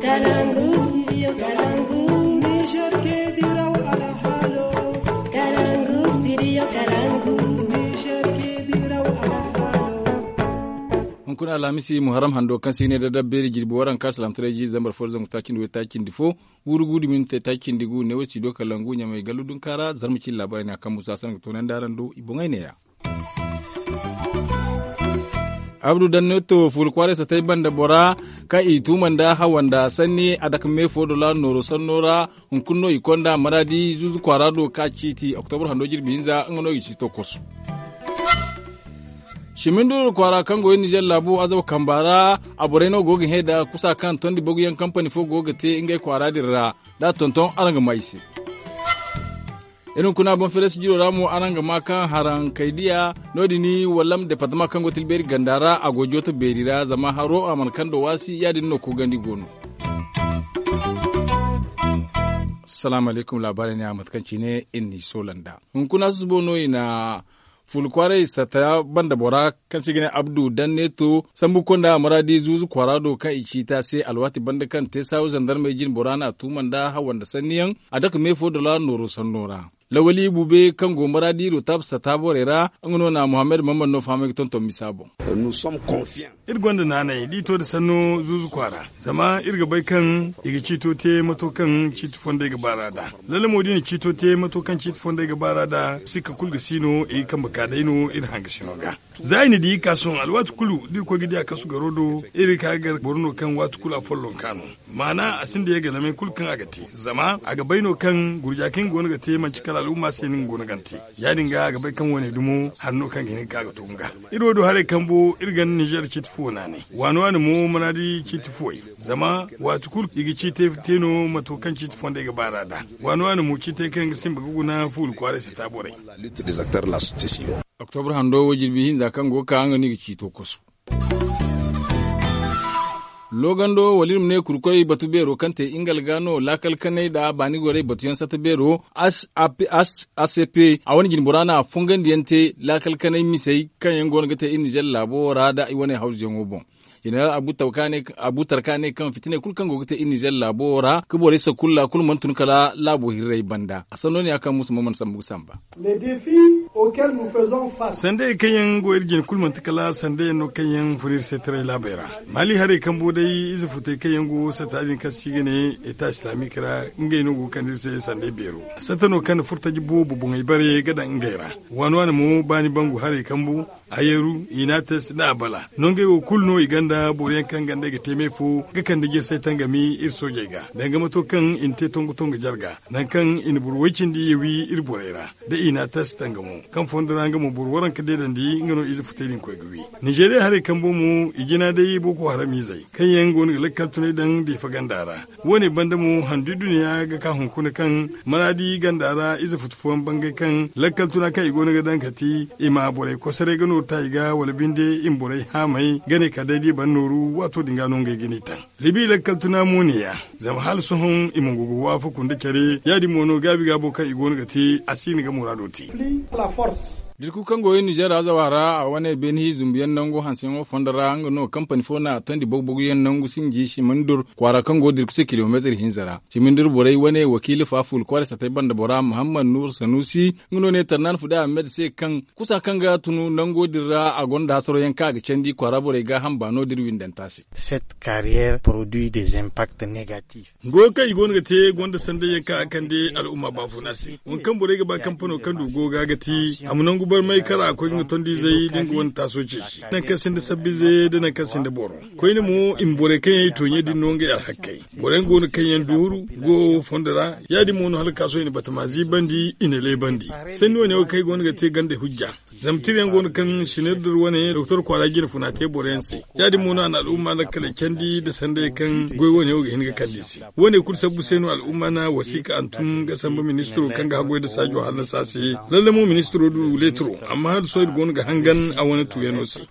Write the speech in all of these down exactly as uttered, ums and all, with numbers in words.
Kalangu, studio Kalangu. Niger ke diraw alhalo. Kalangu, studio Kalangu. Niger ke diraw alhalo. Hunkuna alhamisi muharram hando kaŋ se i ne da dabbeeri jirbi waranka salamtaray ji zambar fo da zangu taacindi way taacindi fo, wuru gudu minti taacindi gu ne way studio Kalangu ɲamay gallu dunkaara zarma cin laabaray ne a kaŋ musa sanaŋ ga toonandi araŋ do i boŋay neeya. Abdu danneto fuula kwaaray satay banda bora kaŋ i tuuma nda hawa nda sanni a dake me fo dola nooro sanno ra. Hunkuna no i konda maraadi zuuzu kwaara do ka ciiti oktobar hando jirbi hinza nga no i ga ciito kosu. Siminduru kwaara kaŋ go iri nizer laabo azaba kamba ra, a borey no go ga hẽ da kusa kaŋ tondi baguyaŋ kampani fo go ga te ngey kwaara din ra. Da a tonton araŋ ga maa i se. Iri hunkuna boŋ feres jiro ra mo araŋ ga maa kaŋ haraŋ kay diya no- din wallam departama kaŋ go tilbeeri ganda ra a go jooto beeri ra zama haro a mana kando waasi ya- din no koogandi go no. Salaamu alaykum laabaarey ne a mate kaŋ cine iri n'i soola nd'a. Hunkuna susubo no i na fuula kwaaray sata banda bora kaŋ se i ga ne abdu danneto sambu konda maraadi zuuzu kwaara do kaŋ i ciita se alwaati banda kaŋ te saawu zandarmey jine bora n'a tuuma nda hawa nda sanniyaŋ. A dake me fo dola nooro sanno ra. Lawali bube kaŋ go maraadi rotab sata borey ra nga no na muhammad mammad no fahamay ga tonton misa boŋ. Iri gonda naanay da i to nda sanno zuuzu kwaara zama iri ga bay kaŋ i ga ciito te mato kaŋ ciiti fondey ga baar'a nd'a. Lalle mo da i na ciito te mato kaŋ ciiti fondey ga baar'a nd'a sikka kulu ga si no i ga kambe ka day no iri hangasino ga. Za i na di i ka sohõ alwaati kulu da iri koy ga di a kasu garo do iri ga ka ga gar boro no kaŋ waati kulu a follonka no. Maana a sinda ye ga lamay kulu kaŋ a ga te zama a ga bay no kaŋ gurja kaŋ i go no ga te manci kala al'umma se no nga go no ga ni te. Ya- din ga a ga bay kaŋ wane dumo hari no kaŋ ga hin ga ka ga to nga. Iri wo du haray kambo iri ganda nizer ciiti fuwo naanay waani waani mo manaadi ciiti fuwey zama waati kulu i ga ciitey te no mato kaŋ ciiti fondey ga baar'a nd'a. Waani waani mo ciitey kaŋ ga simba ga guna fuula kwaaray sata borey. Oktobra hando wo jirbi hinza kaŋ go ga ka nga no i ga ciito kosu. Loogando wala iri ma ne kurkoy batu beero kaŋ te ingal ga no laakal kanay nd'a baani gorey batuyaŋ sata beero a c p a wane jinbora no a fongandiyaŋ te laakal kanay misey kaŋ yaŋ go no ga te iri nizer laabo ra nd'a i wane hawzuyaŋo boŋ. Jeneral abutar ka ne kaŋ fitiney kulu kaŋ go ga te iri nizer laabo ra ga borey sakulla kulu mana tun kala laabo hirrey banda a sanno ne ya kaŋ musa ma mana sambu ga samba. Sandey kaŋ yaŋ go iri jine kulu manti kala sandey yaŋ no kaŋ yaŋ fun iri se taray laabey ra. Maali harey kambo day ize futey kaŋ yaŋ go sata din kaŋ se i ga ne eta islamic ra ngey no go ga kande iri se sandey beero. Sata no kaŋ na furtaji boobo boŋey bare ga daŋ ngey ra. Waani waani mo baani bangu harey kambo, ayeru, inates nda abala nongey wo kulu no i gonda boro yaŋ kaŋ gandey ga te me fo ga kande jirsay tangami iri soojey ga danga mato kaŋ i na te tongo tongo jarga nangu kaŋ i na boro way cindi ye wi iri borey ra. Da inates tangamo kaŋ fondo ra nga mo boro waranka deedandi nga no ize futay din koy ga wi. Nizeeriya harey kambo mo i jina day boko haram izey kaŋ yaŋ go no ga lakkal tunay daŋ diifa ganda ra. Wo- ne banda mo handu dunya ga ka hunkuna kaŋ maraadi ganda ra ize futu fooyaŋ bangay kaŋ lakkal tuna kaŋ i go no ga daŋ kati i ma borey kosoray ga nooru ta i ga wala binde i ma borey haamay ga ne kala day da i ban nooru waato din ga no ngey ga ni taŋ. Libi lakkal tuna mo ne- ya zama hala sohõ i ma go ga waafaku nda care ya- din mo no gaabi gaabo kaŋ i go no ga te a si na ga muraado te. Dirku kaŋ go iri nizer azawa ra a wane beene hi zumbuyaŋ nangu hanseyaŋo fondo ra nga no kampani fo no a tondi bogu boguyaŋ nangu sinji simindur kwaara kaŋ go dirku se kilomeetir hinza ra. Simindur borey wane wakiila fa fuula kwaara satay banda bora muhammad nur sanusi nga no ne tarnan fude ahmed se kaŋ kusa kaŋ ga tunu nango din ra a gonda hasaro yaŋ kaŋ a ga candi kwaara borey gaaham baano da iri windanta se. Cette carrière produit des impacts négatifs. Goyo kaŋ i go no ga te gonda sanday yaŋ kaŋ a kande al'umma baafuna se. Waŋ kaŋ borey ga ba kampano kaŋ du go ga ga ti a ma nangu barmay kara a koy ga nga tondizey da nga wane taaso ceeci nangu kaŋ sinda sabbize da nangu kaŋ sinda boro. Koyne mo i ma borey kaŋ yaŋ i tooɲey din no ngey alhakkey. Boro yaŋ go no kaŋ yaŋ duuru go fondo ra. Ya- din mo no hala kaaso i na batama ziibandi i na leebandi. Sanni wane wo kaŋ ay go no ga te ganda hujja. Zama tira yaŋ go no kaŋ sinirdir wane doktor kwaara jine funa te boro yaŋ se. Ya- din mo no a na al'umma lakkaley candi nda sanday kaŋ goy wane wo ga hin ga kande i se. Wo- ne kulu sabbu se no al'umma na wasiika hantum ga samba ministiro kaŋ ga haggoy nda saajo hallasa se. Lalle mo ministiro du leetiro amma hala sohõ iri go no ga hangan a wane tuuyano se.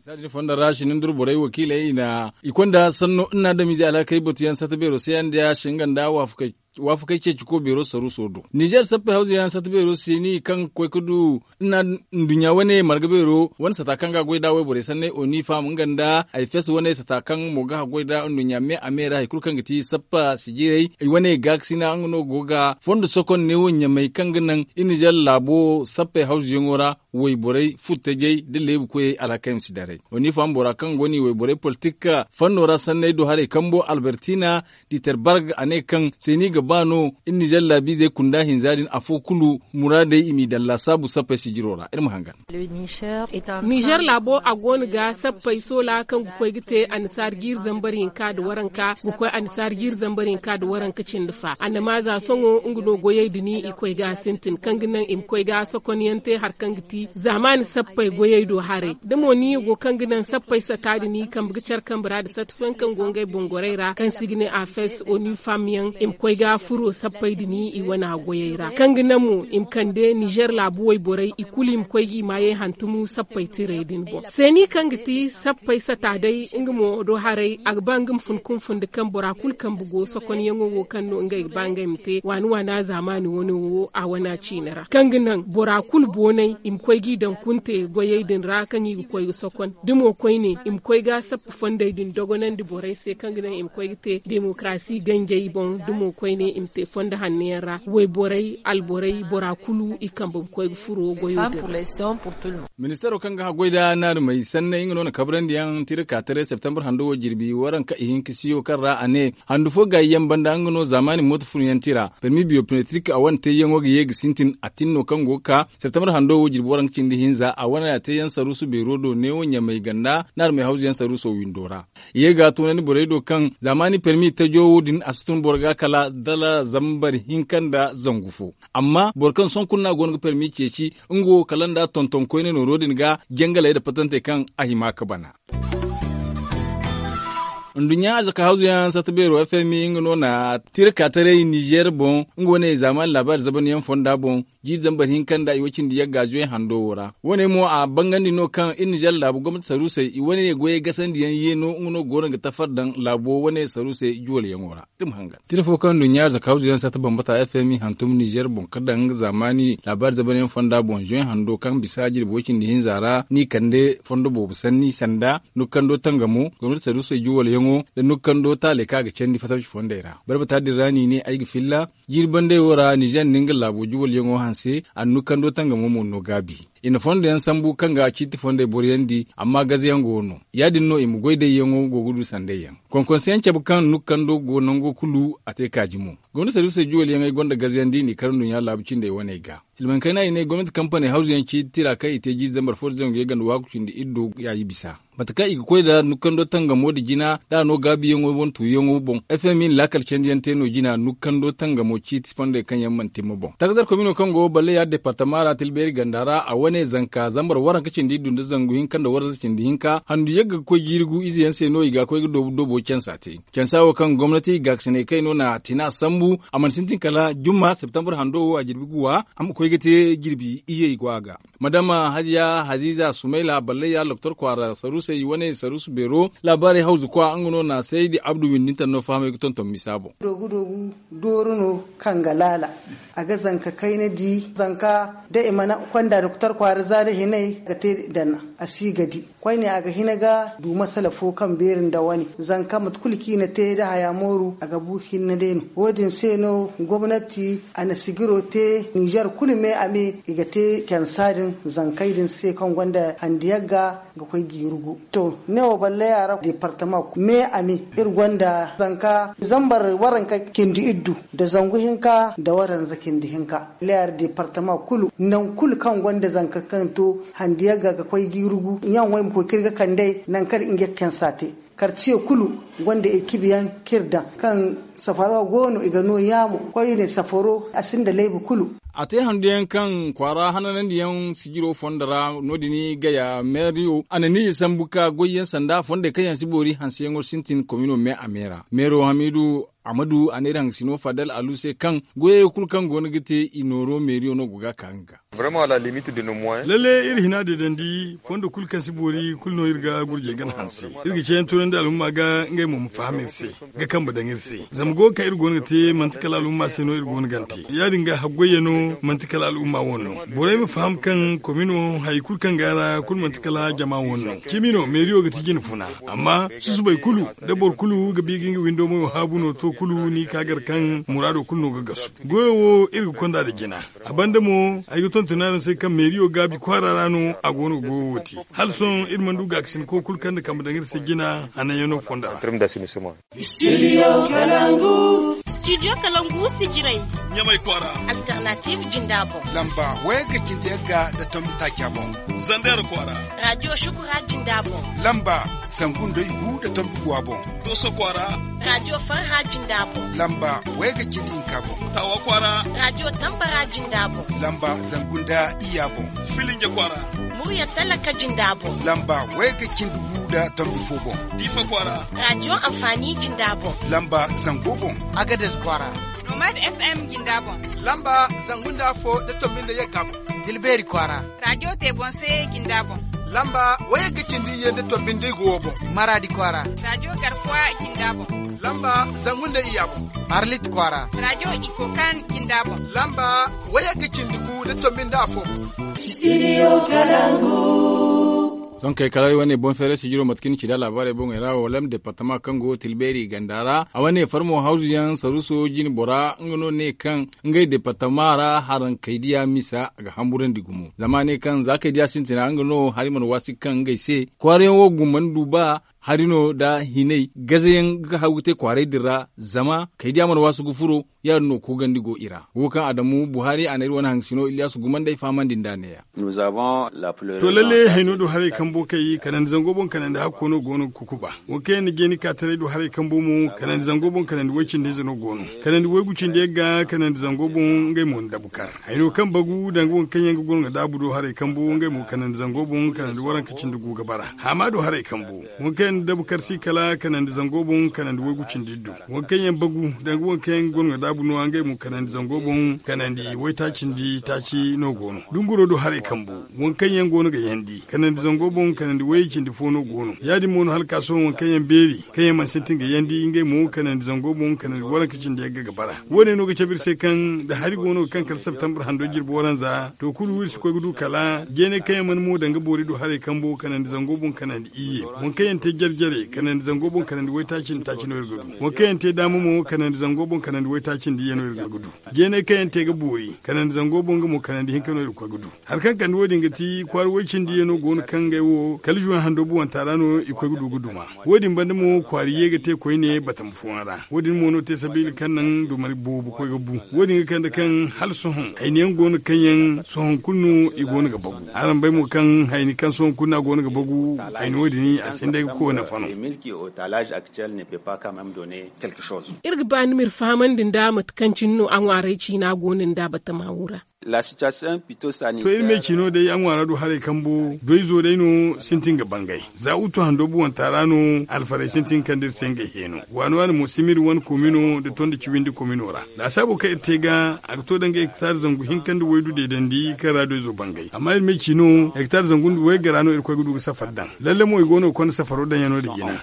Za din fondo ra sinindur borey wakiiley i na i konda sanno nna damize alhakey batuyaŋ sata beero se yaŋ da ya singa nda waafakey. waafakey ceeci ko beero saruuso do. Nizer sappey hawza yaŋ sata beero seeni kaŋ ga koy ga du nduɲɲa wane marga beero wane sata kaŋ ga a goy nd'a wayborey sanney oni fam nga nda ay fes wane sata kaŋ mo ga a goy nd'a nduɲɲa me a me ra hari kulu kaŋ ga ti sappa sijirey i wane gaakasina nga no go ga fondo sokon neewo ɲamay kaŋ ga naŋ i nizer laabo sappey hawzuyaŋo ra wayborey furtajey nda leebu koyey alhakey ma si daray. Oni fam bora kaŋ go no i wayborey politik fanno ra sanney do haray kambo albertina diterbarg a ne kaŋ seeni ga ba no iri nizer laabiizey kunda hinza din afo kulu muraadey i m'i daŋ laasaabu sappey sijiro ra iri ma hangan. Nizer laabo a go no ga sappey soola kaŋ ga koy ga te annasaara jiiri zambar hinka nda waranka ga koy annasaara jiiri zambar hinka nda waranka cindi fa annamaaza sohõ nga no goyey din i koy ga a sintin kaŋ ga naŋ i ma koy ga sokonyaŋ te hari kaŋ ga ti zaamaani sappey goyey do haray da mo ni go kaŋ ga naŋ sappey sata din i kambe ga care kambe ra nda sata fooyaŋ kaŋ go ngey boŋ gorey ra kaŋ se i ga ne afes oni fam yaŋ i ma koy ga furo sappey din i wane goyey ra kaŋ ga naŋ mo i ma kande nizer laabu wayborey i kulu i ma koy g'i maayey hantumu sappey tirey din boŋ seeni kaŋ ga ti sappey sata day nga mo do haray a ga ba nga ma fun kunfun nda kaŋ bora kulu kambe go sokonyaŋo wo kaŋ no ngey ga ba ngey ma te waani waana zaamaani wane wo a wana ciine ra kaŋ ga naŋ bora kulu boonay i ma koy g'i daŋ kunte goyey din ra kaŋ i ga koy ga sokon da mo koyne i ma koy ga sappa fondey din dogonandi borey se kaŋ ga naŋ i ma koy ga te demokarasi ganjey boŋ da mo koyne i ma te fondo hanno yaŋ ra wayborey alborey bora kulu i kambe ga koy ga furo goyo din ra. Ministaro kaŋ ga haggoy nda naarumey sanney nga no na kabrandi yaŋ tira ka taray septembre hando wo jirbi waranka ihinka siyo kaŋ ra a ne handu fo gaayi yaŋ banda nga no zaamaani mooto fun yaŋ tira permi biyometrik a wane teeyaŋo ga ye ga sintin a tin no kaŋ go ga ka septembre hando wo jirbi waranka cindi hinza a wane a teeyaŋ saruusu beero do neewo ɲamay ganda naarumey hawzu yaŋ saruuso windo ra. Ye ga a tunandi borey do kaŋ zaamaani permi tajo wo din a si tun boro ga kala dala zambar hinka nda zangu fo amma boro kaŋ sohõ kulu no a go no ga permi ceeci nga wo kala nda tonton koyne nooro din ga jangaley nda patantey kaŋ a hima ga bana. Nduɲɲa arzaka hawzu yaŋ sata beero fmi nga no na tira ka taray nizer boŋ nga wane zaamaani laabaari zabanyaŋ fonda boŋ jiiri zambar hinka nda i way cindi yagga zuwey hando wo ra wane mo a bangandi no kaŋ iri nizer laabu gomnati saruusey i wane goyey gasandiyaŋ yeeno nga no go no ga tafar daŋ laabo wane saruusey juwalyaŋo ra. Tira fo kaŋ nduɲɲa arzaka hawzu yaŋ sata bambata fmi hantum nizer boŋ ka daŋ nga zaamaani laabaari zabanyaŋ fonda boŋ zuwey hando kaŋ bisa jirbi way cindi hinza ra n'i kande fondo boobo sanni sanda nukkando tangamo gomnati saruusey juwalyaŋo nda nukkando taaley kaŋ a ga candi fatabci fondey ra barbata din ra n'i ne ay ga filla jiiri bandey wo ra nizer nda nga laabo juwalyaŋo hanse a na nukkando tangamo mo no gaabi. I na fondo yaŋ sambu kaŋ ga ciiti fondey boroyandi amma gaze yaŋ go no ya- din no i ma goy dayyaŋo go ga du sandey yaŋ konkonse yaŋ cabe kaŋ nukkando go nango kulu a te kaaji mo. Gomnati saruusey juwalyaŋey gonda gaze yaŋ da i n'i kar nduɲɲa laabu cindey waney ga. Silmaŋ kayna i ne gomnati kampaney hawzu yaŋ ciiti tira kaŋ i te jiiri zambar fo da zangu yagga nda waaku cindi iri do yaayi bisa mate kaŋ i ga koy nda nukkando tangamo nda jina da a no gaabiyaŋo wane tuuyaŋo boŋ fmi na laakal candiyaŋ te no jina nukkando tangamo ciiti fondey kaŋ yaŋ mana timma boŋ takazar komino kaŋ go balle yaari departama ra tilbeeri ganda ra a wane zanka zambar waranka cindi iddu nda zangu hinka nda waranza cindi hinka handu yagga ga koy jiiri gu ize yaŋ se no i ga koy ga doobu doobo cansa te. Cansa wo kaŋ gomnati gaakasinay kayno na tina sambu a mana sintin kala jumma septembre hando wo a jirbi guwa a ma koy ga te jirbi iyey go a ga. Madama haziya haziza sumayla ballayya loktor kwaara saruusey wane saruusu beero laabaarey hawzu kwa nga no na saydi abdu windinta no fahamay ga tonton misa boŋ. Dooru no kaŋ ga laala a ga zanka kayna di zanka da i mana konda doktor kwaara za da hinay ga te dana a si ga di koyne a ga hina ga du masala fo kaŋ beeri nda wane zanka mate kulu kaŋ i na te da haya mooru a ga bu hinne day no wo- din se no gomnati a na sigiro te nizer kulu me a me i ga te cansa din zankey din se kaŋ gonda handi yagga ga koy ga i rugu. To ne wo balle ya ra departama me a me iri gonda zanka zambar waranka cindi iddu nda zangu hinka nda waranza cindi hinka. Leer departama kulu nangu kulu kaŋ gonda zanka kaŋ to handi yagga ga koy ga i rugu ɲaŋ wo i ma koy ga iri ga kandey nangu kaŋ iri ga cansa te. Karciye kulu gonda ekibi yaŋ kaŋ iri daŋ kaŋ safaro go no i ga no yaamo koyne safaro a sinda laybu kulu. A te handu yaŋ kaŋ kwaara hananandi yaŋ sijiro fondo ra no- din gaya meeriyo a na ni i sambu ka goy yaŋ sanda fondey kaŋ yaŋ si boori hanseyaŋo sintin komino me a me ra meero hamidu amadu a ne iri hangasino fadal alu se kaŋ goyey kulu kaŋ go no ga te i nooro meeriyo no go ga ka nga ga. Lalle iri hina deedandi fondo kulu kaŋ si boori kulu no iri ga gurjey gana hanse. Iri ga ceeyaŋ tunandi alhumma ga ngey mo ma faham iri se, ga kambe daŋ iri se. Zama go kaŋ iri go no ga te manti kala alhumma se no iri go no gante. Ya- din ga haggoyyaŋ no, manti kala alhumma wane no. Borey ma faham kaŋ komino hari kulu kaŋ ga a ra kulu manti kala jama wane no. Cimi no meeriyo ga ti jine funa. Amma susubay kulu, da boro kulu ga bi ga nga windo mayo haabu no to kulu ni ka gar kaŋ muraado kulu no ga gasu. Goyo wo iri ga konda nda jina. A banda mo, ay ga tonton araŋ se kaŋ meeriyo gaabi kwaara ra no a go no ga goyo wo te. Hala sohõ iri mana du gaakasinko kulu kaŋ na kambe daŋ iri se jina hananyaŋo fonda ra. Studio kalangu si jiray. Ɲamay kwaara. Alternative jinda boŋ. Lamba wayga cindi yagga nda tombi taaca boŋ. Zander kwaara. Radio shukura jinda boŋ. Lamba zangu nda igu nda tombi guwa boŋ. Doso kwaara. Radio farha jinda boŋ. Lamba wayga cindi hinka boŋ. Tawa kwaara. Radio tambara jinda boŋ. Lamba zangu nda iya boŋ. Filinja kwaara. Murya talaka jinda boŋ. Lamba wayga cindi gu nda tombi fo boŋ. Difa kwaara. Radio amfani jinda boŋ. Lamba zango boŋ. Agades kwaara. Nomad FM jinda boŋ. Lamba zangu nda fo nda tombi nda yagga boŋ. Tilberi kwaara. Radio te boŋ se jinda boŋ. Lamba wayagga cindi ye nda tombi nda igu wo boŋ. Maradi kwaara. Radio garkuwa jinda boŋ. Lamba zangu nda iya boŋ. Arlit kwaara. Radio ikokan jinda boŋ. Lamba wayagga cindi gu nda tombi nda afo boŋ. Studio kalangu. Sohõ kay kala ay wane boŋ feeray sijiro mate kaŋ ni ci da laabaarey boŋey ra walam departama kaŋ go tilbeeri ganda ra a wane farmo hawzuyaŋ saruso jine bora nga no ne kaŋ ngey departama ra haraŋ kaydiya misa ga hamburandi gumo zama ne kaŋ za kaydiya sintina nga no hari mana waasi kaŋ ngey se kwaarayaŋ wo gumandi du ba hari no nda hinay gazayaŋ ga hagu te kwaaray din ra zama kaydiya mana waasi ga furo. Ya- din no koogandi go i ra wo kaŋ adamu buhari a na iri wane haŋ sino iliyasu gumandi ay fahamandi nda neeya. To lalle hayno do haray kambo kay kanandi zango boŋ kanandi hakko no go no ga kukuba. Wo kaŋ yaŋ na jeeni ka taray do haray kambo mo kanandi zango boŋ kanandi way-cindi-ize no go no. Kanandi waygu cindi yagga kanandi zango boŋ ngey mo na dabu kar. Hayno kaŋ bagu danga waŋ kaŋ yaŋ ga goro ga daabu do haray kambo ngey mo kanandi zango boŋ kanandi waranka cindi gu ga bara. Haama do haray kambo waŋ kaŋ yaŋ na dabu kar si kala kanandi zango boŋ kanandi waygu cindi iddu. Waŋ kaŋ yaŋ bagu danga waŋ kaŋ yaŋ ga goro ga daabu no ngey mo kanandi zango boŋ kanandi waytaacindi taaci no go no. Dunguro do haray kambo waŋ kaŋ yaŋ go no ga yandi kanandi zango boŋ kanandi wayey cindi fo no go no ya- din mo no hala ka sohõ waŋ kaŋ yaŋ beeri kaŋ yaŋ mana sintin ga yandi ngey mo kanandi zango boŋ kanandi waranka cindi yagga ga bara. Wo- ne no ga cabe iri se kaŋ da hari go no ga kaŋ kala septembre hando jirbi waranza to kulu iri si koy ga du kala jeeney kaŋ yaŋ mana mo danga boori do haray kambo kanandi zango boŋ kanandi iyye. Waŋ kaŋ yaŋ te jare-jare kanandi zango boŋ kanandi waytaaci nda taaci no iri ga du. Waŋ kaŋ yaŋ te daama mo kanandi zango boŋ kanandi waytaaci nda iyye no iri ga du. Jeeney kaŋ yaŋ te ga boori kanandi zango boŋ nga mo kanandi hinka no iri ga koy ga du. Hari kaŋ kande wo- din ga ti kwaara way-cindi yaŋ no go no kaŋ ngey wo kala juwan hando buwanta ra no i koy ga du ga duma. Wo- din banda mo kwaara ye ga te koyne batama fooyaŋ ra wo- din mo no te sabiila kaŋ naŋ dumari boobo koy ga bu. Wo- din ga kande kaŋ hala sohõ hayni yaŋ go no kaŋ yaŋ sohõ kulu no i go no ga bagu. Araŋ bay mo kaŋ hayni kaŋ sohõ kulu no a go no ga bagu. Hayni wo- din a sinda ay ga koy nafa no. Iri ga ba ni ma iri fahamandi nda mate kaŋ cine no a ŋwaaray ciina go no nda batama wo ra. To iri me ciino day a ŋwaara do haray kambo doyzo day no sintin ga bangay za utu hando buwanta ra no alfarey sintin kande iri se ngey heeno. Waani waani mo simiri wane komino nda tondi ciwindi komino ra laasaabo kaŋ iri te ga a ga to danga hektar zangu hinka nda waydu deedandi kaŋ ra doyzo bangay amma iri me ciino hektar zangu nda waygara no iri koy ga du ga safar daŋ. Lalle mo i go no ga konda safaro daŋ yaŋ no- din jina.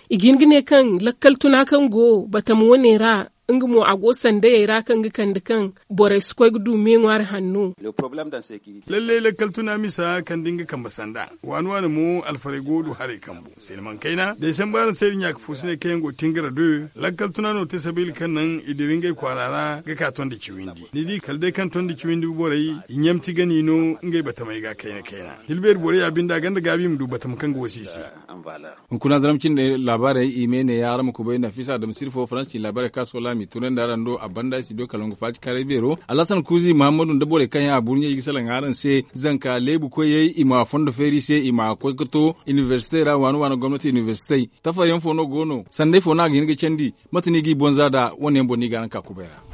I ga hin ga ne kaŋ lakkal tuna kaŋ go batama wane ra nga mo a go sandayey ra kaŋ ga kande kaŋ borey si koy ga du me ŋwaari hanno. Lalle lakkal tuna misa kande nga kambe sanda waani waani mo alfarey go du haray kambu silman kayna day sambu araŋ se iri ɲaaka fo si ne kaŋ yaŋ go tangara de. Lakkal tuna no te sabiila kaŋ naŋ i dira ngey kwaara ra ga ka tondi ciwindi ni di kala day kaŋ tondi ciwindi borey i ɲamti gani no ngey batamey ga kayna kayna. Hilbeeri borey ya binde a gonda gaabi i ma du batama kaŋ ga wasi i se. Hunkuna zaram cindi laabaarey i me ne ya araŋ ma kubay nafisa adamu sirfo faransa ci laabaarey kaŋ a sohõ laami tunandi araŋ do a banda studio kalangu faaci kaaray beero alhasan kuuzi muhammadu nda borey kaŋ yaŋ a burɲey i ga salaŋ araŋ se zanka leebu koyey i ma fondo feeri se i ma koy ga to inibersite ra waani waani gomnati inibersitey. Tafaryaŋ fo no go no sanday fo no a ga hin ga candi? Mate no i g'i bonza nd'a wane yaŋ boŋ no i ga araŋ ka kubay ra.